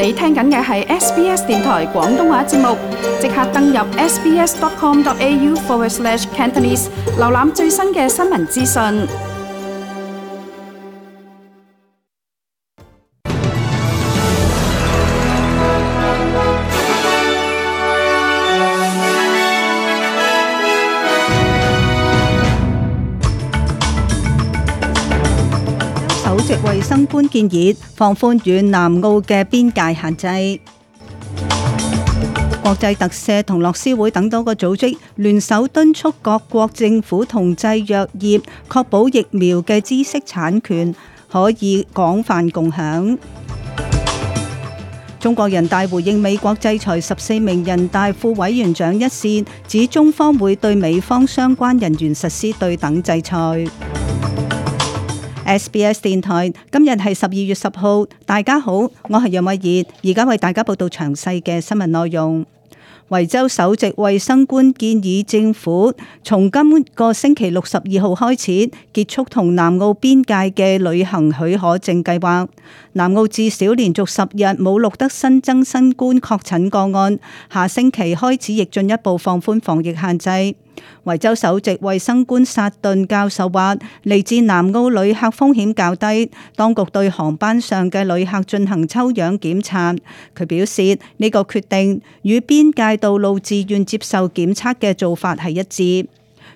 你聽緊嘅係 SBS 電台廣東話節目，即刻登入 sbs.com.au/cantonese 瀏覽最新嘅新聞資訊。首席衛生官建議放寬與南澳嘅邊界限制。國際特赦同樂施會等多個組織聯手敦促各國政府同製藥業確保疫苗嘅知識產權可以廣泛共享。中國人大回應美國制裁14名人大副委員長一事，指中方會對美方相關人員實施對等制裁。SBS 電台今日係12月10號，大家好，我係楊慧儀，而家為大家報道詳細嘅新聞內容。維州首席衛生官建議政府從今個星期六12號開始結束同南澳邊界嘅旅行許可證計劃。南澳至少連續10日冇錄得新增新冠確診個案，下星期開始亦進一步放寬防疫限制。維州首席衛生官薩頓教授話，嚟自南澳旅客風險較低，當局對航班上嘅旅客進行抽樣檢查。佢表示呢個決定與邊界道路自願接受檢測嘅做法係一致。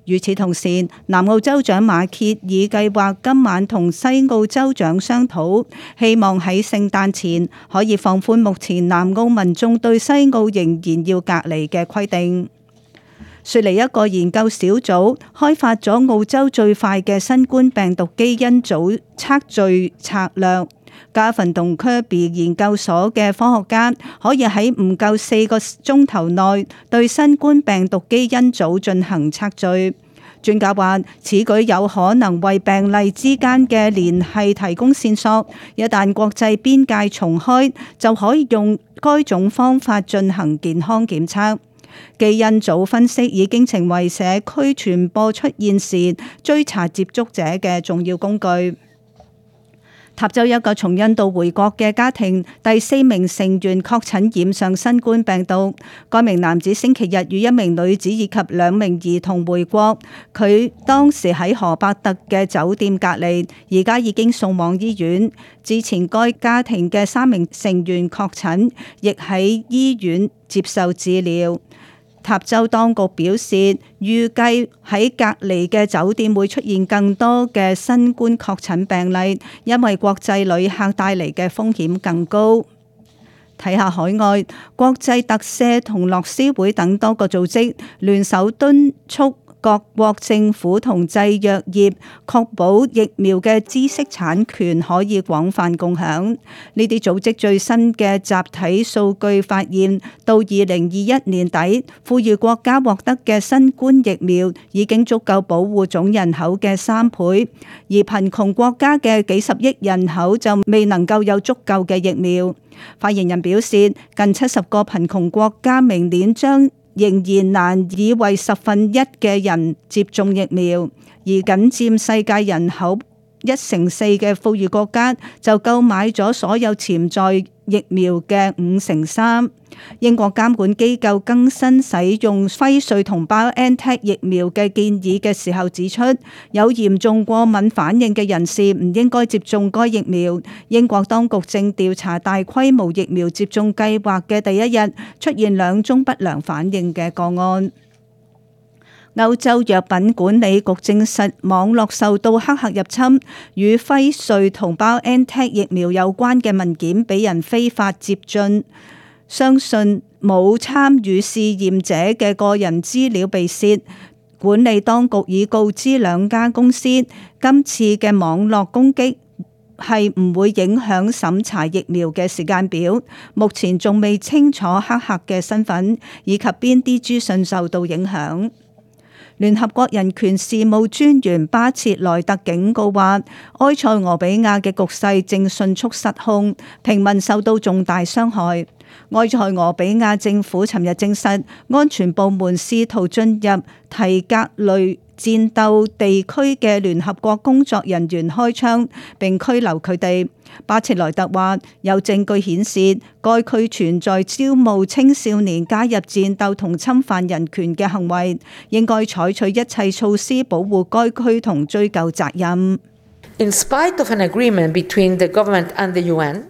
與此同時，南澳州長馬歇爾計劃今晚同西澳州長商討，希望喺聖誕前可以放寬目前南澳民眾對西澳仍然要隔離嘅規定。雪梨一個研究小組開發咗澳洲最快嘅新冠病毒基因組測序策略。加芬同科比研究所嘅科學家可以喺唔夠4個鐘頭內對新冠病毒基因組進行測序。專家話，此舉有可能為病例之間嘅聯繫提供線索。一旦國際邊界重開，就可以用該種方法進行健康檢測。基因組分析已經成為社區傳播出現時追查接觸者嘅重要工具。塔州一個從印度回國嘅家庭第4名成員確診染上新冠病毒。該名男子星期日與一名女子以及2名兒童回國，佢當時喺荷伯特嘅酒店隔離，而家已經送往醫院。之前該家庭嘅3名成員確診，亦喺醫院接受治療。塔州當局表示，預計喺隔離嘅酒店會出現更多嘅新冠確診病例，因為國際旅客帶嚟嘅風險更高。睇下海外，國際特赦同樂施會等多個組織聯手敦促各國政府同製藥業確保疫苗嘅知識產權可以廣泛共享。呢啲組織最新嘅集體數據發現，到2021年底，富裕國家獲得嘅新冠疫苗已經足夠保護總人口嘅3倍，而貧窮國家嘅幾十億人口就未能夠有足夠嘅疫苗。發言人表示，近70個貧窮國家明年將仍然難以為1/10嘅人接種疫苗，而僅佔世界人口1/4嘅富裕國家就購買咗所有潛在疫苗嘅3/5。英國監管機構更新使用輝瑞同 BioNTech 疫苗嘅建議嘅時候指出，有嚴重過敏反應嘅人士唔應該接種該疫苗。英國當局正調查大規模疫苗接種計劃嘅第一日出現2宗不良反應嘅個案。歐洲藥品管理局證實網絡受到黑客入侵，與輝瑞同 BioNTech 疫苗有關嘅文件俾人非法接進，相信冇參與試驗者嘅個人資料被竊。管理當局已告知2家公司，今次嘅網絡攻擊係唔會影響審查疫苗嘅時間表，目前仲未清楚黑客嘅身份以及邊啲資訊受到影響。聯合國人權事務專員巴切萊特警告話，埃塞俄比亞嘅局勢正迅速失控，平民受到重大傷害。埃塞俄比亞政府尋日證實，安全部門試圖進入提格雷戰鬥地區嘅聯合國工作人員開槍並拘留佢哋。巴切萊特話有證據顯示該區存在招募青少年加入戰鬥同侵犯人權嘅行為，應該採取一切措施保護該區同追究責任。In spite of an agreement between the government and the UN,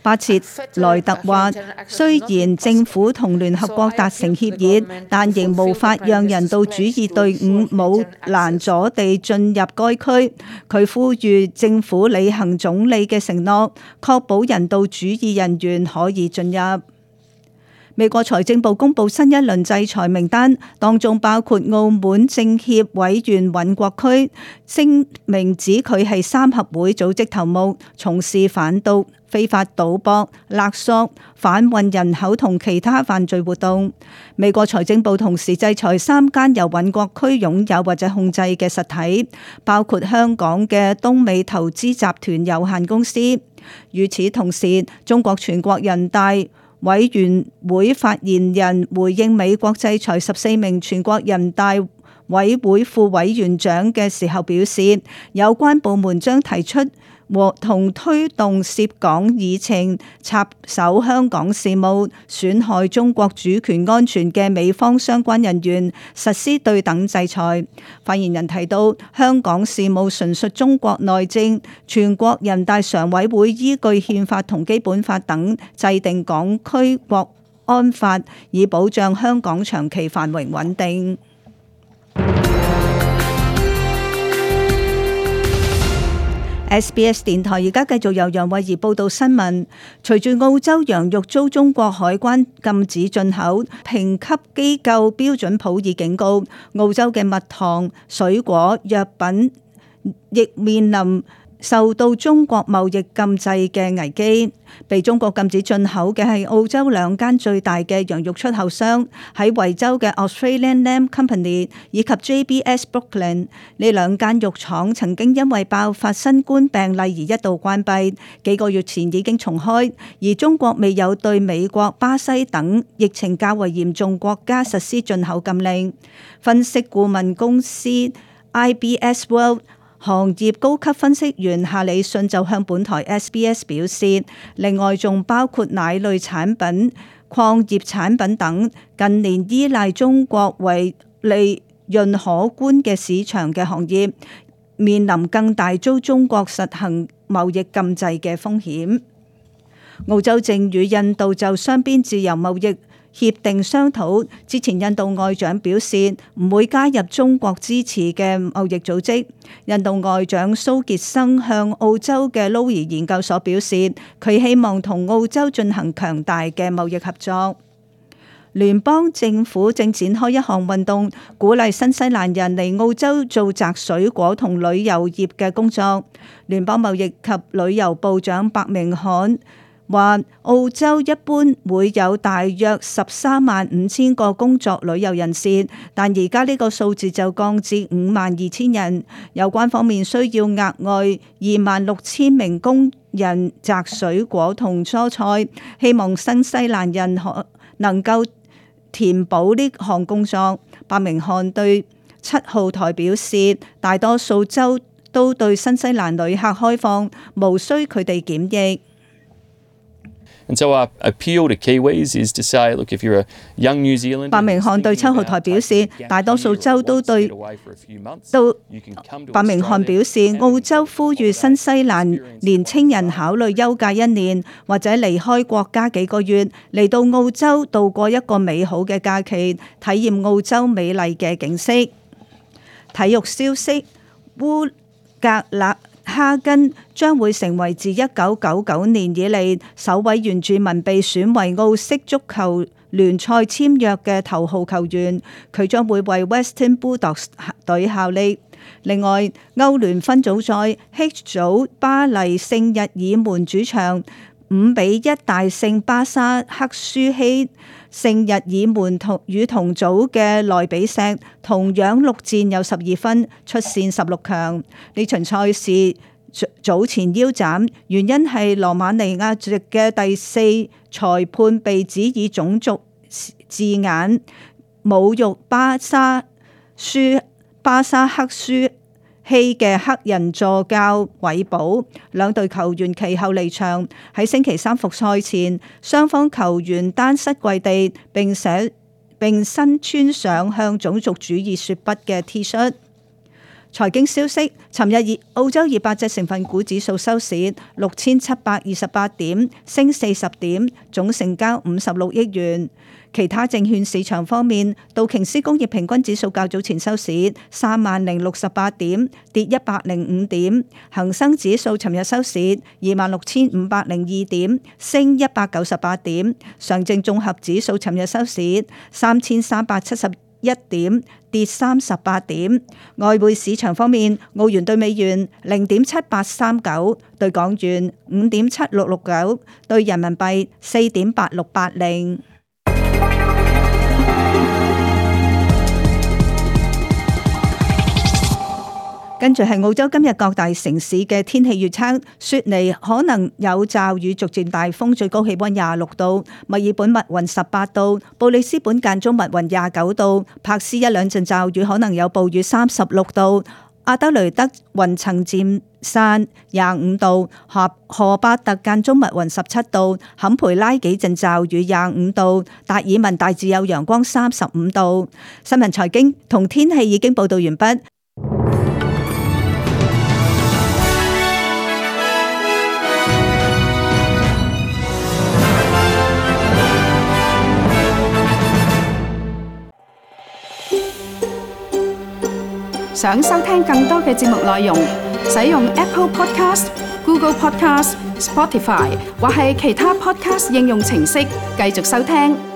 巴切萊特話：雖然政府同聯合國達成協議，但仍無法讓人道主義隊伍冇攔阻地進入該區。佢呼籲政府履行總理嘅承諾，確保人道主義人員可以進入。美國財政部公布新一輪制裁名單，當中包括澳門政協委員尹國駒，聲明指佢係三合會組織頭目，從事販毒、非法賭博、勒索、販運人口同其他犯罪活動。美國財政部同時制裁3間由尹國駒擁有或者控制嘅實體，包括香港嘅東美投資集團有限公司。與此同時，中國全國人大委員會發言人回應美國制裁14名全國人大委會副委員長嘅時候表示，有關部門將提出和同推動涉港議程、插手香港事務、損害中國主權安全嘅美方相關人員實施對等制裁。發言人提到，香港事務純屬中國內政，全國人大常委會依據憲法同基本法等制定港區國安法，以保障香港長期繁榮穩定。SBS 電台而家繼續由楊慧儀報道新聞。隨住澳洲羊肉遭中國海關禁止進口，評級機構標準普爾警告，澳洲嘅蜜糖、水果、藥品亦面臨受到中國貿易禁制嘅危機。被中國禁止進口嘅係澳洲2間最大嘅羊肉出口商，喺維州嘅 Australian Lamb Company 以及 JBS Brooklyn。呢2間肉廠曾經因為爆發新冠病例而一度關閉，幾個月前已經重開，而中國未有對美國、巴西等疫情較為嚴重國家實施進口禁令。分析顧問公司 IBS World行業高級分析員夏里遜就向本台 SBS 表示，另外仲包括奶類產品、礦業產品等，近年依賴中國為利潤可觀嘅市場嘅行業，面臨更大遭中國實行貿易禁制嘅風險。澳洲正與印度就雙邊自由貿易協定商討，之前印度外長表示唔會加入中國支持嘅貿易組織。印度外長蘇傑生向澳洲嘅 Lowy 研究所表示，佢希望同澳洲進行強大嘅貿易合作。聯邦政府正展開一項運動，鼓勵新西蘭人嚟澳洲做摘水果同旅遊業嘅工作。聯邦貿易及旅遊部長白明漢話澳洲一般會有大約135000個工作旅遊人士，但而家呢個數字就降至52000人。有關方面需要額外26000名工人摘水果同蔬菜，希望新西蘭人能夠填補呢項工作。白明漢對7號台表示，大多數州都對新西蘭旅客開放，無需佢哋檢疫。白明漢對7號台表示，大多數州都對白明漢表示，澳洲呼籲新西蘭年青人考慮休假1年或者離開國家幾個月，嚟到澳洲度過一個美好嘅假期，體驗澳洲美麗嘅景色。體育消息：烏格勒哈根將會成為自1999年以嚟首位原住民被選為澳式足球聯賽簽約嘅頭號球員，佢將會為 Western Bulldogs 隊效力。另外，歐聯分組賽 H 組巴黎聖日耳門主場5-1大勝巴沙克舒希。聖日耳門與同組嘅萊比錫同樣6戰有12分，出線16強。呢場賽事早前腰斬，原因係羅馬尼亞籍嘅第4裁判被指以種族字眼侮辱巴沙巴沙克舒希嘅黑人助教韋保，兩隊球員其後離場。喺星期三復賽前，雙方球員單膝跪地並身穿上向種族主義說不嘅 T 恤。財經消息，尋日澳洲200隻成分股指數收市6728點，升40點，總成交56億元。其他證券市場方面，道瓊斯工業平均指數較早前收市30068點，跌105點；恒生指數尋日收市26502點，升198點；上證綜合指數尋日收市3371點，跌38點。外匯市場方面，澳元對美元0.7839，對港元5.7669，對人民幣4.8680。跟住係澳洲今日各大城市嘅天氣預測：雪梨可能有驟雨，逐漸大風，最高氣溫26度；墨爾本密雲18度；布里斯本間中密雲29度；柏斯一兩陣驟雨，可能有暴雨36度；阿德雷德雲層漸散25度；荷巴特間中密雲17度；坎培拉幾陣驟雨25度；達爾文大致有陽光35度。新聞財經同天氣已經報道完畢。想收聽更多嘅節目內容，使用 Apple Podcast、Google Podcast、Spotify 或係其他 Podcast 應用程式繼續收聽。